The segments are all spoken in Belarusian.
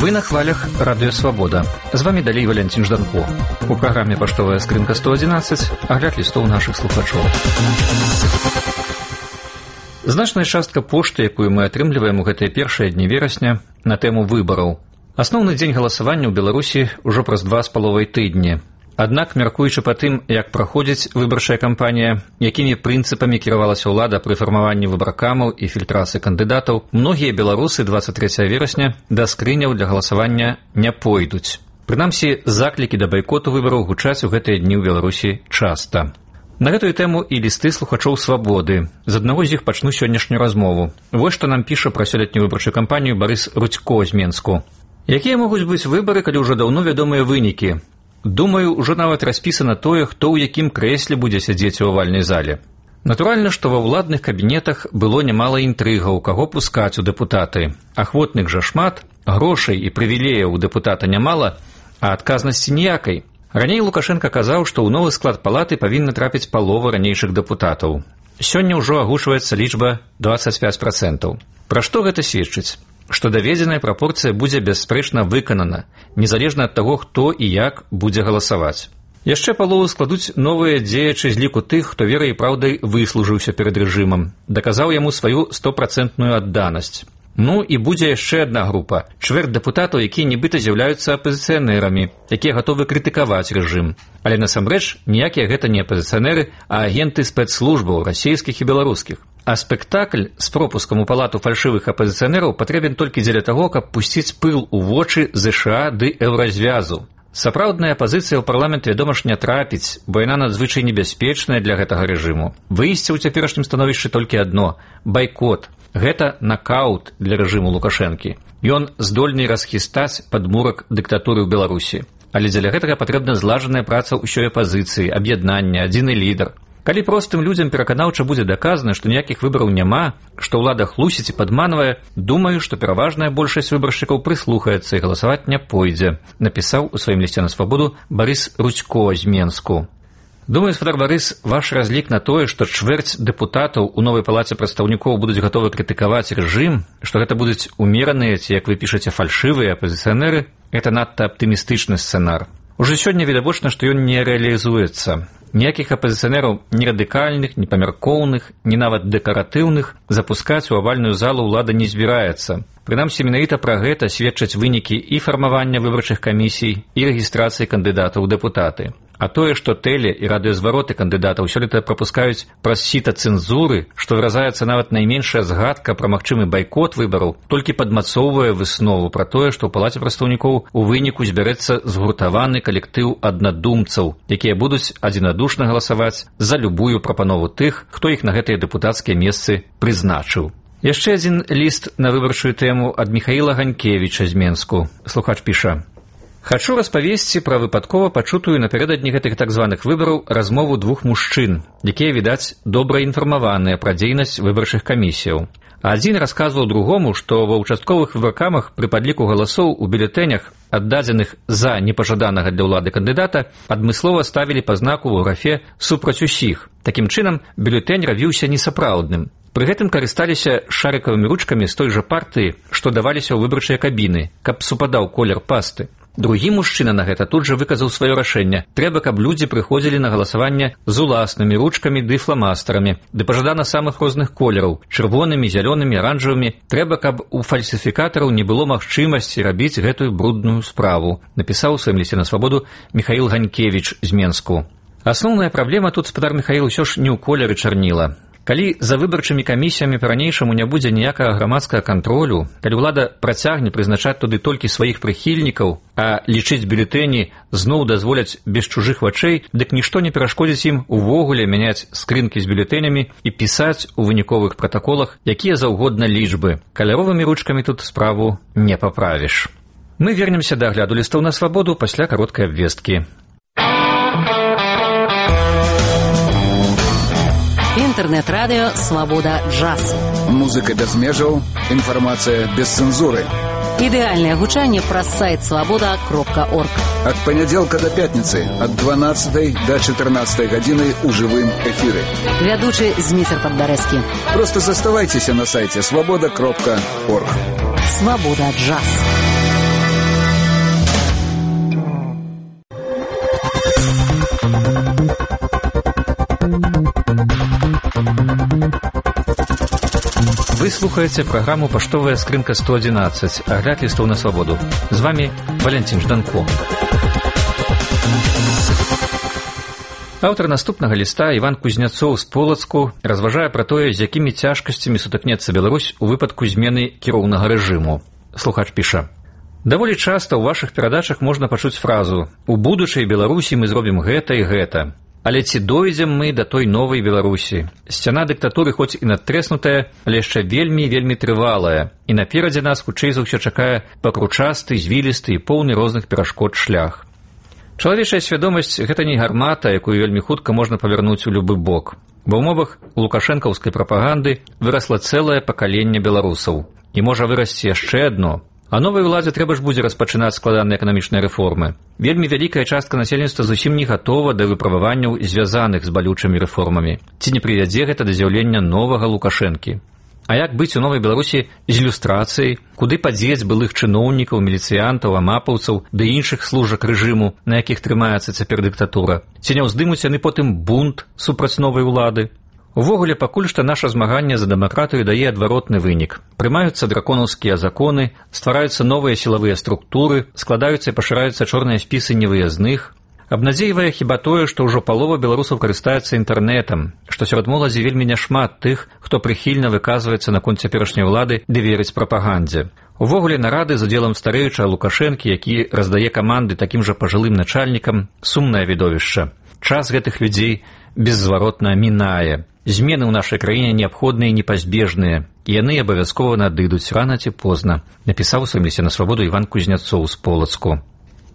Вы на хвалях Радыё Свабода. З вами далей Валянцін Жданко. У праграме «Паштовая скрынка 111» агляд лістоў нашых слухачоў. Значная частка пошты, якую мы атрымліваем у гэтыя першыя дні верасня, на тэму выбараў. Асноўны дзень галасавання ў Беларусі ўжо праз 2,5 тыдні. Аднак, мяркуючы па тым, як праходзіць выбарчая кампанія, якімі прынцыпамі кіравалася ўлада пры фармаванні выбаркамаў і фільтрацыі кандыдатаў, многія беларусы 23 верасня да скрыняў для галасавання не пойдуць. Прынамсі, заклікі да байкоту выбараў гучаць у гэтыя дні ў Беларусі часта. На гэтую тэму і лісты слухачоў «Свабоды». З аднаго з іх пачну сённяшнюю размову. Вось што нам піша пра сёлетнюю выбарчую кампанію Барыс Рудзько з Менску. Якія могуць быць выбары, калі ўжо даўно вядомыя вынікі? Думаю, ужо нават распісана тое, хто ў якім крэсле будзе сядзець у авальнай зале. Натуральна, што ва ўладных кабінетах было нямала інтрыгаў, каго пускаць у дэпутаты. Ахвотных жа шмат, грошай і прывілеяў у дэпутата нямала, а адказнасці ніякай. Раней Лукашенко казаў, што ў новы склад палаты павінна трапіць палова ранейшых дэпутатаў. Сёння ўжо агучваецца лічба 25%. Пра што гэта сведчыць? Што даведзеная прапорцыя будзе бясспрэчна выканана, незалежна ад таго, хто і як будзе галасаваць. Яшчэ палову складуць новыя дзеячы з ліку тых, хто верай і праўдай выслужыўся перад рэжымам, даказаў яму сваю 100% адданасць. Ну і будзе яшчэ адна група, чвэрць дэпутатаў, якія нібыта з'яўляюцца апазіцыянэрамі, якія гатовы крытыкаваць рэжым. Але насамрэч ніякія гэта не апазіцыянеры, а агенты спецслужбаў расійскіх і беларускіх. А спектакль з пропускам у палату фальшывых апазіцыянераў патрэбен толькі дзеля таго, каб пусціць пыл у вочы ЗША ды еўразвязу. Сапраўдная апазіцыя ў парламент, вядома ж, не трапіць, бо яна надзвычай небяспечная для гэтага рэжыму. Выйсце ў цяперашнім становішчы толькі адно – байкот. Гэта накаут для рэжыму Лукашэнкі. Ён здольны расхістаць падмурак дыктатуры ў Беларусі. Але дзеля гэтага патрэбна злажаная праца ўсёй апазіцыі, аб'яднання, адзіны лідар. Калі простым людзям пераканаўча будзе даказана, што ніякіх выбараў няма, што ўлада хлусіць і падманвае, думаю, што пераважная большасць выбаршчыкаў прыслухаецца і галасаваць не пойдзе, напісаў у сваім лісце на Свабоду Барыс Рудзько з Менску. Думаю, спадар Барыс, ваш разлік на тое, што чвэрць дэпутатаў у новай палаце прадстаўнікоў будуць гатовы крытыкаваць рэжым, што гэта будуць умераныя ці, як вы пішаце, фальшывыя апазіцыянеры, гэта надта аптымістычны сцэнар. Ужо сёння відавочна, што ён не рэалізуецца. Ніякіх апазіцыянераў ні радыкальных, ні памяркоўных, ні нават дэкаратыўных запускаць у авальную залу ўлада не збіраецца. Прынамсі, менавіта пра гэта сведчаць вынікі і фармавання выбарчых камісій, і рэгістрацыі кандыдатаў у дэпутаты. А тое, што тэле- і радыёзвароты кандыдатаў сёлета прапускаюць праз сіта цэнзуры, што выразаецца нават найменшая згадка пра магчымы байкот выбараў, толькі падмацоўвае выснову пра тое, што ў палаце прадстаўнікоў у выніку збярэцца згуртаваны калектыў аднадумцаў, якія будуць адзінадушна галасаваць за любую прапанову тых, хто іх на гэтыя дэпутацкія месцы прызначыў. Яшчэ адзін ліст на выбарчую тэму ад Міхаіла Ганькевіча з Менску. Слухач піша: «Хачу распавесці пра выпадкова пачутую напярэдадні гэтых так званых выбараў размову двух мужчын, якія, відаць, добра інфармаваныя пра дзейнасць выбарчых камісіяў. Адзін расказваў другому, што ва ўчастковых выбаркамах пры падліку галасоў у бюлетэнях, аддадзеных за непажаданага для ўлады кандыдата, адмыслова ставілі па знаку ў графе «супраць усіх». Такім чынам, бюлетэнь равіўся несапраўдным. Пры гэтым карысталіся шарыкавымі ручкамі з той жа партыі, што даваліся ў выбарчыя кабіны, каб супадаў колер пасты. Другі мужчына на гэта тут жа выказаў сваё рашэнне. Трэба, каб людзі прыходзілі на галасаванне з уласнымі ручкамі ды фламастарамі, ды пажадана самых розных колераў, чырвонымі, зялёнымі, аранжавымі. Трэба, каб у фальсіфікатараў не было магчымасці рабіць гэтую брудную справу, напісаў у сваім лісце на Свабоду Міхаіл Ганькевіч з Менску. Асноўная праблема тут, спадар Міхаіл, усё ж не ў колеры чарніла. Калі за выбарчымі камісіямі па-ранейшаму не будзе ніякага грамадскага кантролю, калі ўлада працягне прызначаць туды толькі сваіх прыхільнікаў, а лічыць бюлетэні зноў дазволяць без чужых вачэй, дык нішто не перашкодзіць ім увогуле мяняць скрынкі з бюлетэнямі і пісаць у выніковых пратаколах якія заўгодна лічбы. Каляровымі ручкамі тут справу не паправіш. Мы вернемся да агляду лістоў на Свабоду пасля кароткай абвесткі. Інтэрнэт-радыё «Свабода Джаз». Музыка без межаў, інфармацыя без цэнзуры. Ідэальнае гучанне праз сайт свабода.орг. Ад панядзелка да пятніцы ад 12 до 14 гадзіны ў жывым эфіры. Вядучы Зміцер Падбярэзкі. Просто заставайцеся на сайце свабода.орг. «Свабода Джаз». Вы слухаеце праграму «Паштовая скрынка 111», агляд лістоў на свабоду. З вами Валентин Жданко. Аўтар наступнага ліста Іван Кузняцоў з Полацку разважае пра тое, з якімі цяжкасцямі сутыкнецца Беларусь у выпадку змены кіроўнага рэжыму. Слухач піша: «Даволі часта ў вашых перадачах можна пачуць фразу «У будучай Беларусі мы зробім гэта і гэта». Але ці дойдзем мы да той новай Беларусі? Сцяна дыктатуры хоць і надтрэснутая, але яшчэ вельмі трывалая, і наперадзе нас хутчэй за ўсё чакае пакручасты, звілісты і поўны розных перашкод шлях. Чалавечая свядомасць – гэта не гармата, якую вельмі хутка можна павярнуць у любы бок. Ва ўмовах лукашэнкаўскай прапаганды вырасла цэлае пакаленне беларусаў. І можа вырасці яшчэ адно. А новай уладзе трэба ж будзе распачынаць складаныя эканамічныя рэформы. Вельмі вялікая частка насельніцтва зусім не гатова да выправаванняў, звязаных з балючымі рэформамі. Ці не прывядзе гэта да з'яўлення новага Лукашэнкі? А як быць у новай Беларусі з ілюстрацыяй? Куды падзець былых чыноўнікаў, міліцыянтаў, амапаўцаў ды іншых служак рэжыму, на якіх трымаецца цяпер дыктатура? Ці не ўздымуць яны потым бунт супраць новай улады? Увогуле, пакуль што наша змаганне за дэмакратыю дае адваротны вынік. Прымаюцца драконаўскія законы, ствараюцца новыя сілавыя структуры, складаюцца і пашыраюцца чорныя спісы невыязных. Абнадзейвае хіба тое, што ўжо палова беларусаў карыстаецца інтэрнэтам, што сярод моладзі вельмі няшмат тых, хто прыхільна выказваецца наконт цяперашняй улады ды верыць прапагандзе. Увогуле, нарады з удзелам старэючага Лукашэнкі, які раздае каманды такім жа пажылым начальнікам, сумнае відовішча. Час гэтых людзей беззваротна мінае. Змены ў нашай краіне неабходныя і непазбежныя, і яны абавязкова надыдуць рана ці позна, напісаў у сваім лісце на свабоду Іван Кузняцоў з Полацку.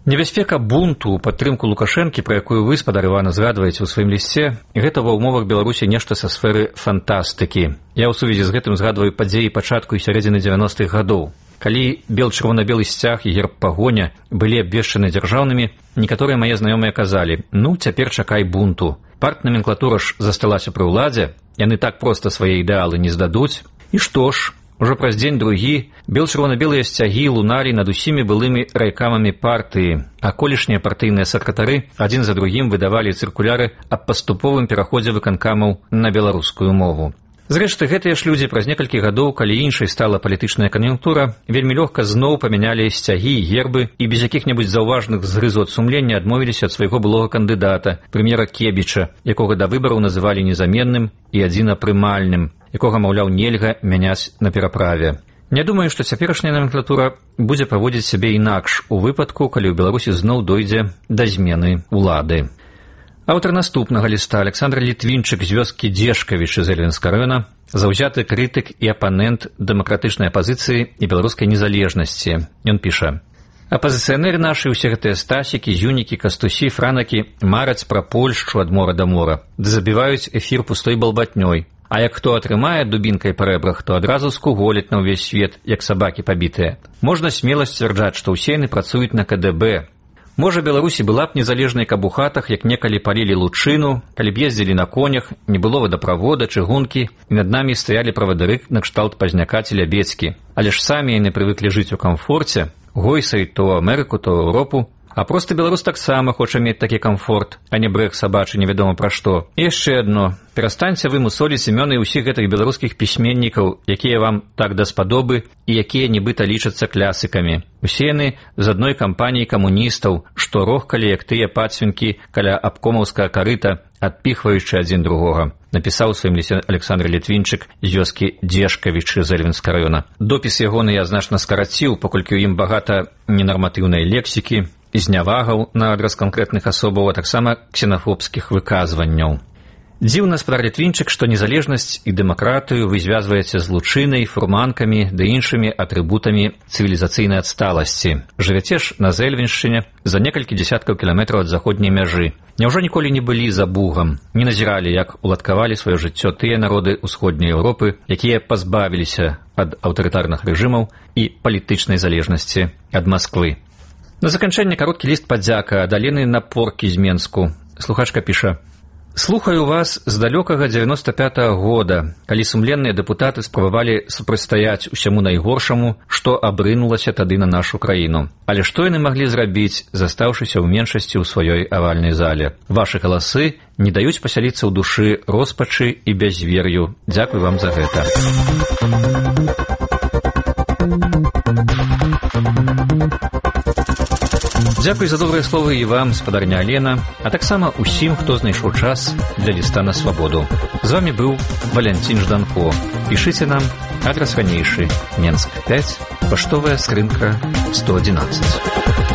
Небяспека бунту ў падтрымку Лукашэнкі, пра якую вы, спадар Івана, згадваеце ў сваім лісце, гэта ва ўмовах Беларусі нешта са сферы фантастыкі. Я ў сувязі з гэтым згадваю падзеі пачатку і сярэдзіны 90-х гадоў. Калі бел-чырвона-белы сцяг і герб пагоня былі абвешчаны дзяржаўнымі, некаторыя мае знаёмыя казалі: «Ну, цяпер чакай бунту. Партнаменклатура ж засталася пры ўладзе, яны так проста свае ідэалы не здадуць». І што ж, ужо праз дзень-другі бел-чырвона-белыя сцягі луналі над усімі былымі райкамамі партыі, а колішнія партыйныя сакратары адзін за другім выдавалі цыркуляры аб паступовым пераходзе выканкамаў на беларускую мову. Зрэшты, гэтыя ж людзі праз некалькі гадоў, калі іншай стала палітычная кан'юнктура, вельмі лёгка зноў памянялі сцягі і гербы і без якіх-небудзь заўважных згрызот сумлення адмовіліся ад свайго былога кандыдата, прэм'ера Кебіча, якога да выбараў называлі незаменным і адзінапрымальным, якога, маўляў, нельга мяняць на пераправе. Не думаю, што цяперашняя номенклатура будзе паводзіць сябе інакш у выпадку, калі ў Беларусі зноў дойдзе да змены улады. Аўтар наступнага ліста Александр Літвінчык з вёскі Дзешкавіч з Эльвінскага раёна, заўзяты крытык і апанент дэмакратычнай апазіцыі і беларускай незалежнасці. Ён піша: «Апазіцыянеры нашы, усе гэтыя стасікі, зюнікі, кастусі, франакі мараць пра Польшчу ад мора да мора, ды забіваюць эфір пустой балбатнёй. А як хто атрымае дубінкай па рэбрах, то адразу скуголяць на ўвесь свет, як сабакі пабітыя. Можна смела сцвярджаць, што ўсе яны працуюць на КДБ. Можа, Беларусі была б незалежнай, каб у хатах, як некалі палілі лучыну, калі б ездзілі на конях, не было вадаправода, чыгункі, і над намі стаялі правадыры накшталт Пазняка ці Лябецкі. Але ж самі яны прывыклі жыць у камфорце, гойсай то Амерыку, то Еўропу. А просты беларус таксама хоча мець такі камфорт, а не брэх сабачы невядома пра што. І яшчэ адно. Перастаньце вы мусоліць імёны ўсіх гэтых беларускіх пісьменнікаў, якія вам так даспадобы і якія нібыта лічацца клясыкамі. Усе яны з адной кампаніі камуністаў, што рохкалі, як тыя пацвінкі каля абкомаўскага карыта, адпіхваючы адзін другога», напісаў у сваім лісце Александр Літвінчык з вёскі Дзешкавіч з Эльвінскага раёна. Допіс ягоны я значна скараціў, паколькі ў ім багата ненарматыўнай лексікі, знявагаў на адрас канкрэтных асобаў, а таксама ксенафобскіх выказванняў. Дзіўна, спадар Літвінчык, што незалежнасць і дэмакратыю вы звязваеце з лучынай, фурманкамі ды іншымі атрыбутамі цывілізацыйнай адсталасці. Жывяце ж на Зэльвіншчыне, за некалькі дзесяткаў кіламетраў ад заходняй мяжы. Няўжо ніколі не былі за Бугам, не назіралі, як уладкавалі сваё жыццё тыя народы ўсходняй Еўропы, якія пазбавіліся ад аўтарытарных рэжымаў і палітычнай залежнасці ад Масквы. На заканчэнне кароткі ліст падзяка ад Алены Напоркі з Менску. Слухачка піша: Слухаю вас з далёкага 95-го года, калі сумленныя дэпутаты спрабавалі супрацьстаяць усяму найгоршаму, што абрынулася тады на нашу краіну. Але што яны маглі зрабіць, застаўшыся ў меншасці ў сваёй авальнай зале? Вашы галасы не даюць пасяліцца ў душы роспачы і бязвер'ю. Дзякуй вам за гэта. Дзякуй за добрыя словы і вам, спадарня Алена, а таксама ўсім, хто знайшоў час для ліста на свабоду. З вами быў Валянцін Жданко. Пішыце нам, адрас ранейшы, Менск 5, паштовая скрынка 111.